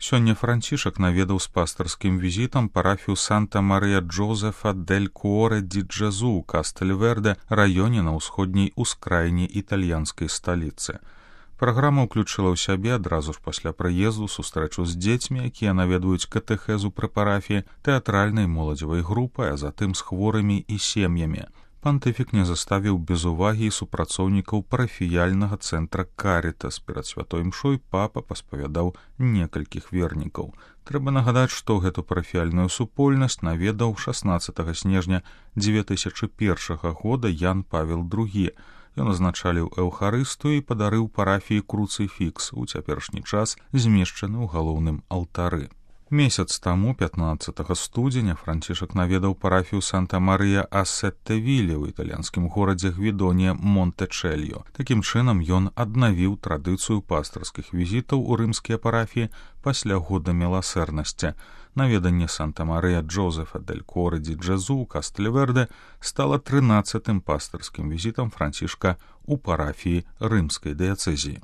Сёння Францішак наведаў з пастырскім візітам парафію Санта-Марыя Джозефа дель Куоре ди Джезу ў Кастельверде, раёне на ўсходняй ускраіне італьянскай сталіцы. Праграма ўключыла ў сябе адразу ж пасля прыезду сустрэчу з дзецьмі, якія наведваюць катэхезу пры парафіі, тэатральнай моладзевай групай, а затым з хворымі і сем'ямі. Пантыфік не заставіў без увагі супрацоўнікаў парафіяльнага цэнтра Карітас. Перад святой імшой папа паспавядаў некалькіх вернікаў. Трэба нагадаць, што гэту парафіяльную супольнасць наведаў 16 снежня 2001 года Ян Павел II. Ён азначаліў эўхарыстыю і падарыў парафіі круцыфікс, у цяперашні час змешчаны ў галоўным алтары. Месяц таму, 15 студзеня, Францішак наведаў парафію Санта-Марыя а Сеттевіле ў італьянскім горадзе Гвідонія Монтечельо. Такім чынам ён аднавіў традыцыю пастырскіх візітаў у рымскія парафіі пасля года міласэрнасці. Наведанне Санта-Марыя Джозефа дель Куоре ди Джезу ў Кастельверде стала 13-тым пастырскім візітам Францішка ў парафіі рымскай дыяцэзіі.